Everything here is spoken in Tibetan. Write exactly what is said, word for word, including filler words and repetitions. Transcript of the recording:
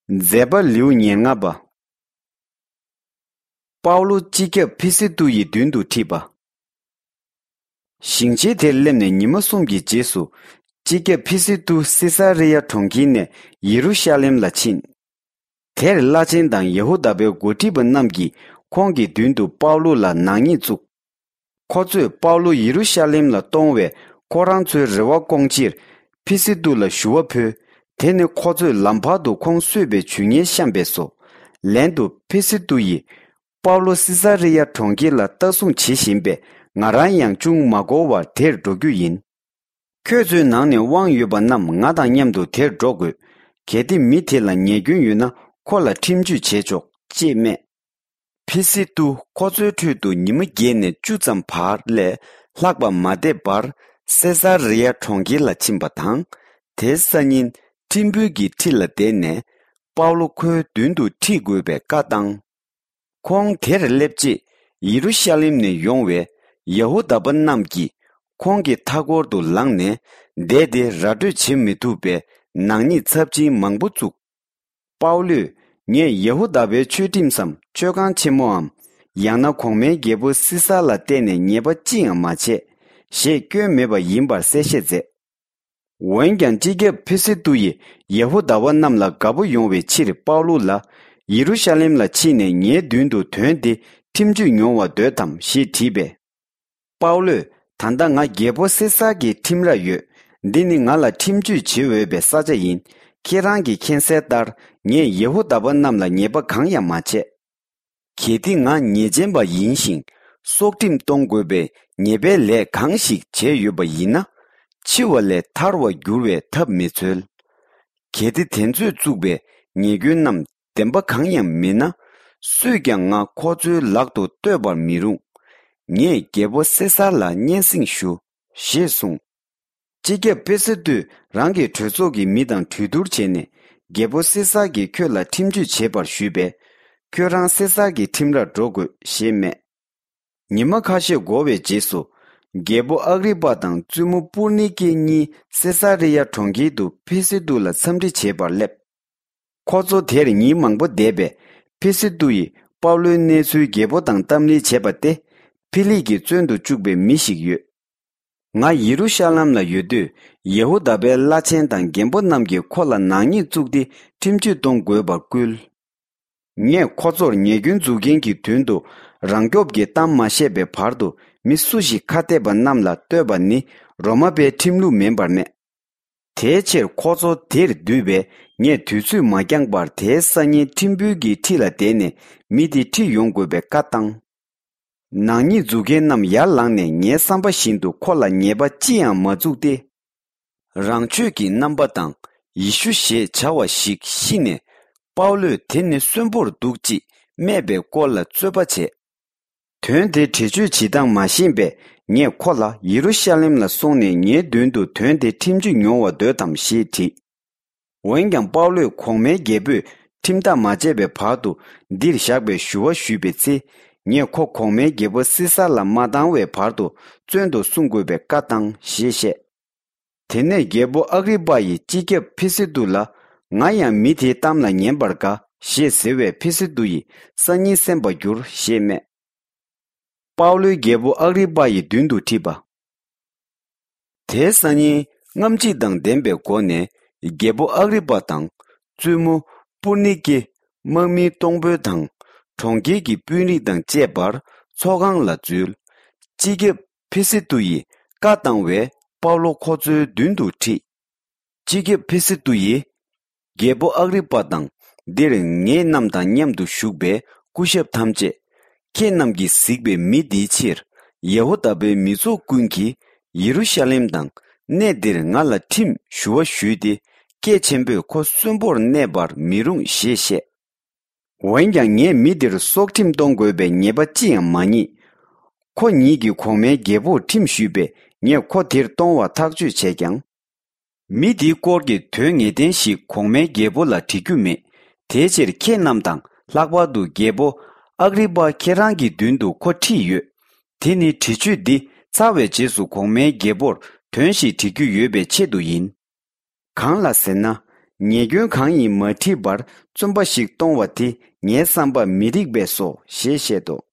མཛད་པ་ལེའུ་ཉེར་ལྔ་པ། པའུ་ལོ་སྤྱི་ཁྱབ་ཕི་སི་ཏུ་ཡི་མདུན་དུ་ཁྲིད་པ། ཞིང་ཆེན་དེར་སླེབས་ནས་ཉི་མ་གསུམ་གྱི་རྗེས་སུ། སྤྱི་ཁྱབ་ཕི་སི་ཏུ་སི་ས་རི་ཡ་གྲོང་ཁྱེར་ནས་ཡེ་རུ་ཤ་ལེམ་ལ་ཕྱིན། དེར་བླ་ཆེན་དང་ཡ་ཧུ་དཱ་པའི་འགོ་ཁྲིད་པ་རྣམས་ཀྱིས་ཁོང་གི་མདུན་དུ་པའུ་ལོ་ལ་ནག་ཉེས་བཙུགས། ཁོ་ཚོས་པའུ་ལོ་ཡེ་རུ་ཤ་ལེམ་ལ་གཏོང་བའི་ཁོ་རང་ཚོའི་རེ་བ་སྐོང་ཕྱིར། ཕི་སི་ཏུ་ལ་ཞུ་བ་ཕུལ། དེ་ནི་ཁོ་ཚོས་ལམ་བར་དུ་ཁོང་གསོད་པའི་ཇུས་ངན་བཤམས་པས་སོ། ལན་དུ་ཕི་སི་ཏུ་ཡིས། པའུ་ལོ་སི་ས་རི་ཡ་གྲོང་ཁྱེར་ལ་ལྟ་སྲུང་བྱེད་བཞིན་པས། ང་རང་ཡང་ཅུང་མ་འགོར་བར་དེར་འགྲོ་རྒྱུ་ཡིན། ཁྱོད་ཚོའི་ནང་ནས་དབང་ཡོད་པ་རྣམས་ང་དང་མཉམ་དུ་དེར་འགྲོ་དགོས། གལ་ཏེ་མི་དེ་ལ་ཉེས་སྐྱོན་ཡོད་ན། ཁོ་ལ་ཁྲིམས་གཅོད་བྱས་ཆོག་ཅེས་སྨྲས། ཕི་སི་ཏུ་ཁོ་ཚོའི་ཁྲོད་དུ་ཉི་མ་བརྒྱད་ནས་བཅུ་ཙམ་བར་ལས་ལྷག་པ་མ་བསྡད་པར། སེ་ས་རི་ཡ་གྲོང་ཁྱེར་ལ་ཕྱིན་པ་དང་། དེའི་སང་ཉིན་ཁྲིམས་དཔོན་གྱི་ཁྲི་ལ་བསྡད་ནས། པའུ་ལོ་ཁོའི་མདུན་དུ་ཁྲིད་དགོས་པའི་བཀའ་བཏང་། ཁོང་དེར་སླེབས་རྗེས། ཡེ་རུ་ཤ་ལེམ་ནས་ཡོང་བའི་ཡ་ཧུ་དཱ་པ་རྣམས་ཀྱིས། ཁོང་གི་མཐའ་འཁོར་དུ་ལངས་ནས། བསྡད་དེ་ར་སྤྲོད་བྱེད་མི་ཐུབ་པའི་ནག་ཉེས་ཚབས་ཆེན་མང་པོ་བཙུགས། པའུ་ལོས། ངས་ཡ་ཧུ་དཱ་པའི་ཆོས་ཁྲིམས་སམ། ཆོས་ཁང་ཆེན་མོའམ། ཡང་ན་གོང་མའི་རྒྱལ་པོ་སི་ས་ལ་བརྟེན་ནས་ཉེས་པ་ཅི་ཡང་མ་བྱས། ཞེས་སྐྱོན་མེད་པ་ཡིན་པར་གསལ་བཤད་མཛད། འོན་ཀྱང་། སྤྱི་ཁྱབ་ཕི་སི་ཏུ་ཡིས་ཡ་ཧུ་དཱ་པ་རྣམས་ལ་དགའ་པོ་ཡོང་བའི་ཕྱིར། པའུ་ལོ་ལ། ཡེ་རུ་ཤ་ལེམ་ལ་ཕྱིན་ནས་ངའི་མདུན་དུ་དོན་དེ་ཁྲིམས་གཅོད་མྱོང་བར་འདོད་དམ་ཞེས་དྲིས་པས། པའུ་ལོས། ད་ལྟ་ང་རྒྱལ་པོ་སེ་སར་གྱི་ཁྲིམས་ར་ཡོད། འདི་ནི་ང་ལ་ཁྲིམས་གཅོད་བྱེད་འོས་པའི་ས་ཆ་ཡིན། ཁྱེད་རང་གིས་མཁྱེན་གསལ་ལྟར། ངས་ཡེ་ཧུ་དཱ་པ་རྣམས་ལ་ཉེས་པ་གང་ཡང་མ་བྱས། གལ་ཏེ་ང་ཉེས་ཅན་པ་ཡིན་ཞིང་། སྲོག་ཁྲིམས་གཏོང་དགོས་པའི་ཉེས་པའི་ལས་གང་ཞིག་བྱས་ཡོད་པ་ཡིན་ན། འཆི་བ་ལས་ཐར་བར་འགྱུར་བའི་ཐབས་མི་འཚོལ། གལ་ཏེ་དེ་ཚོས་བཙུགས་པའི་ཉེས་སྐྱོན་རྣམས་བདེན་པ་གང་ཡང་མིན་ན། སུས་ཀྱང་ང་ཁོ་ཚོའི་ལག་ཏུ་གཏོད་པར་མི་རུང་། ངས་རྒྱལ་པོ་སེ་སར་ལ་སྙན་སེང་ཞུ། ཞེས་གསུངས། སྤྱི་ཁྱབ་ཕེ་སི་ཏུས་རང་གི་གྲོས་ཚོགས་ཀྱི་མི་དང་གྲོས་བསྡུར་བྱས་ནས། རྒྱལ་པོ་སེ་སར་གྱིས་ཁྱོད་ལ་ཁྲིམས་གཅོད་བྱེད་པར་ཞུས་པས། ཁྱོད་རང་སེ་སར་གྱི་ཁྲིམས་རར་འགྲོ་དགོས་ཞེས་སྨྲས། ཉི་མ་ཁ་ཤས་འགོར་བའི་རྗེས་སུ། རྒྱལ་པོ་ཨག་རི་པ་དང་བཙུན་མོ་པུར་ནི་ཀེ་གཉིས་སེ་ས་རི་ཡ་གྲོང་ཁྱེར་དུ་ཕེ་སི་ཏུ་ལ་འཚམས་འདྲི་བྱེད་པར་སླེབས། ཁོ་ཚོ་དེར་ཉིན་མང་པོ་བསྡད་པས། ཕེ་སི་ཏུ་ཡིས་པའུ་ལོའི་གནས་ཚུལ་རྒྱལ་པོ་དང་གཏམ་གླེང་བྱས་པ་སྟེ། ཕི་ལིག་གིས་བཙོན་དུ་བཅུག་པའི་མི་ཞིག་ཡོད། ང་ཡེ་རུ་ཤ་ལམ་ལ་ཡོད་དུས། ཡེ་ཧུ་དཱ་པའི་བླ་ཆེན་དང་རྒན་པོ་རྣམས་ཀྱིས་ཁོ་ལ་ནག་ཉེས་བཙུགས་ཏེ། ཁྲིམས་གཅོད་གཏོང་དགོས་པར་བསྐུལ། ངས་ཁོ་ཚོར་ཉེས་སྐྱོན་འཛུགས་མཁན་གྱི་མདུན་དུ་རང་སྐྱོབ་ཀྱི་གཏམ་མ་བཤད་པའི་བར་དུ། མི་སུ་ཞིག་ཁ་གཏད་པ་རྣམས་ལ་གཏོད་པ་ནི་རོ་མ་པའི་ཁྲིམས་ལུགས་མིན་པར་སྨྲས། དེའི་ཕྱིར་ཁོ་ཚོ་དེར་འདུས་པས། ངས་དུས་ཚོད་མ་འགྱངས་པར་དེའི་སང་ཉིན་ཁྲིམས་དཔོན་གྱི་ཁྲི་ལ་བསྡད་ནས་མི་དེ་ཁྲིད་ཡོང་དགོས་པའི་བཀའ་བཏང་། ནག་ཉེས་འཛུགས་མཁན་རྣམས་ཡར་ལངས་ནས་ངའི་བསམ་པ་བཞིན་དུ་ཁོ་ལ་ཉེས་པ་ཅི་ཡང་མ་བཙུགས་ཏེ། རང་ཆོས་ཀྱི་རྣམ་པ་དང་ཡེ་ཤུ་ཞེས་བྱ་བ་ཞིག་ཤི་ནས། པའུ་ལོས་དེ་ནི་གསོན་པོར་འདུག་ཅེས་སྨྲས་པའི་སྐོར་ལ་རྩོད་པ་བྱས། དོན་དེ་འགྲེལ་བརྗོད་བྱེད་སྟངས་མ་ཤེས་པས། ངས་ཁོ་ལ་ཡེ་རུ་ཤ་ལེམ་ལ་སོང་ནས་ངའི་མདུན་དུ་དོན་དེ་ཁྲིམས་གཅོད་མྱོང་བར་འདོད་དམ་ཞེས་དྲིས། འོན་ཀྱང་པའུ་ལོས་གོང་མའི་རྒྱལ་པོས་ཁྲིམས་ཐག་མ་བཅད་པའི་བར་དུ་འདིར་བཞག་པའི་ཞུ་བ་ཞུས་པའི་ཚེ། ངས་ཁོ་གོང་མའི་རྒྱལ་པོ་སི་ས་ལ་མ་བཏང་བའི་བར་དུ་བཙོན་དུ་སྲུང་དགོས་པའི་བཀའ་བཏང་ཞེས་བཤད། དེ་ནས་རྒྱལ་པོ་ཨག་རི་པ་ཡིས་སྤྱི་ཁྱབ་ཕི་སི་ཏུ་ལ། ང་ཡང་མི་དེའི་གཏམ་ལ་ཉན་པར་དགའ་ཞེས་ཟེར་བས། ཕི་སི་ཏུ་ཡིས་སང་ཉིན་གསན་པར་འགྱུར་ཞེས་སྨྲས། པའུ་ལོས་རྒྱལ་པོ་ཨག་རི་པ་ཡི་མདུན་དུ་ཁྲིད་པ། དེའི་སང་ཉིན་རྔམ་བརྗིད་དང་ལྡན་པའི་སྒོ་ནས་རྒྱལ་པོ་ཨག་རི་པ་དང་བཙུན་མོ་པུར་ནི་ཀེ། དམག་མི་གཏོང་ཕོད་དང་གྲོང་ཁྱེར་གྱི་དཔོན་རིགས་དང་བཅས་པར་ཚོགས་ཁང་ལ་འཛུལ། སྤྱི་ཁྱབ་ཕི་སི་ཏུ་ཡིས་བཀའ་བཏང་བས། པའུ་ལོ་ཁོ་ཚོའི་མདུན་དུ་ཁྲིད། སྤྱི་ཁྱབ་ཕི་སི་ཏུ་ཡིས། རྒྱལ་པོ་ཨག་རི་པ་དང་། འདིར་ངེད་རྣམས་དང་མཉམ་དུ་བཞུགས་པའི་སྐུ་ཞབས་ཐམས་ཅད། ཁྱེད་རྣམས་ཀྱིས་གཟིགས་པའི་མི་འདིའི་ཕྱིར། ཡ་ཧུ་དཱ་པའི་མི་ཚོགས་ཀུན་གྱིས་ཡེ་རུ་ཤ་ལེམ་དང་གནས་འདིར་ང་ལ་ཁྲིམས་ཞུ་བ་ཞུས་ཏེ། སྐད་ཆེན་པོས་ཁོ་གསོན་པོར་གནས་པར་མི་རུང་ཞེས་བཤད། འོན་ཀྱང་ངས་མི་འདིར་སྲོག་ཁྲིམས་གཏོང་དགོས་པའི་ཉེས་པ་ཅི་ཡང་མ་རྙེད། ཁོ་ཉིད་ཀྱིས་གོང་མའི་རྒྱལ་པོར་ཁྲིམས་ཞུས་པས། ངས་ཁོ་དེར་གཏོང་བར་ཐག་གཅོད་བྱས་ཀྱང་། མི་འདིའི་སྐོར་གྱི་དོན་ངེས་གཏན་ཞིག་གོང་མའི་རྒྱལ་པོ་ལ་འདྲི་རྒྱུ་མེད། དེའི་ཕྱིར་ཁྱེད་རྣམས་དང་། ལྷག་པར་དུ་རྒྱལ་པོ་ཨག་རི་པ་ཁྱེད་རང་གི་མདུན་དུ་ཁོ་ཁྲིད་ཡོད། དེ་ནི་འདྲི་གཅོད་འདི་ཚར་བའི་རྗེས་སུ་གོང་མའི་རྒྱལ་པོར་དོན་ཞིག་འདྲི་རྒྱུ་ཡོད་པའི་ཆེད་དུ་ཡིན། གང་ལ་ཟེར་ན། ཉེས་སྐྱོན་གང་ཡིན་མ་དྲིས་པར་བཙུན་པ་ཞིག་གཏོང་བ་དེ་ངའི་བསམ་པར་མི་འགྲིག་པས་སོ་ཞེས་བཤད་དོ།